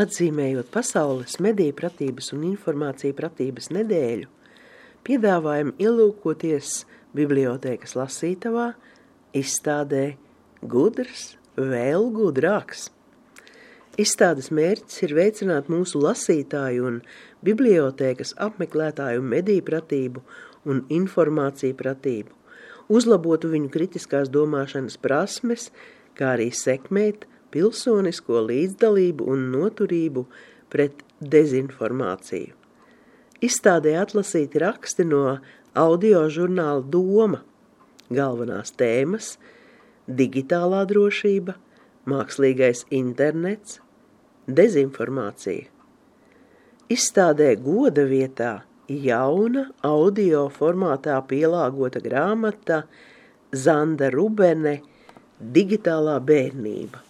Atzīmējot pasaules mediju pratības un informāciju pratības nedēļu, piedāvājam ielūkoties bibliotēkas lasītavā izstādē Gudrs, vēl gudrāks. Izstādes mērķis ir veicināt mūsu lasītāju un bibliotēkas apmeklētāju mediju pratību un informāciju pratību, uzlabotu viņu kritiskās domāšanas prasmes, kā arī sekmēt pilsonisko līdzdalību un noturību pret dezinformāciju. Izstādē atlasīti raksti no audio žurnāla Doma, galvenās tēmas – digitālā drošība, mākslīgais internets, dezinformācija. Izstādē goda vietā jauna audio formātā pielāgota grāmata Zanda Rubene Digitālā bērnība.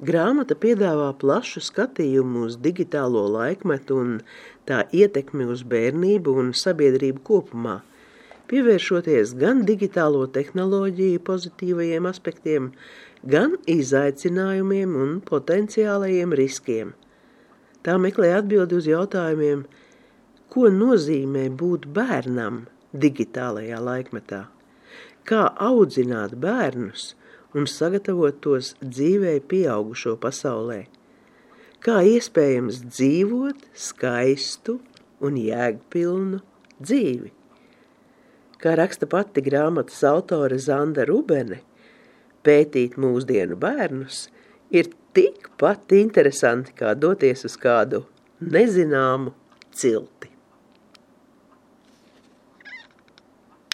Grāmata piedāvā plašu skatījumu uz digitālo laikmetu un tā ietekmi uz bērnību un sabiedrību kopumā, pievēršoties gan digitālo tehnoloģiju pozitīvajiem aspektiem, gan izaicinājumiem un potenciālajiem riskiem. Tā meklē atbildi uz jautājumiem, ko nozīmē būt bērnam digitālajā laikmetā, kā audzināt bērnus un sagatavot tos dzīvē pieaugušo pasaulē, kā iespējams dzīvot skaistu un jēgpilnu dzīvi. Kā raksta pati grāmatas autore Zanda Rubene, pētīt mūsdienu bērnus ir tikpat interesanti, kā doties uz kādu nezināmu cilti.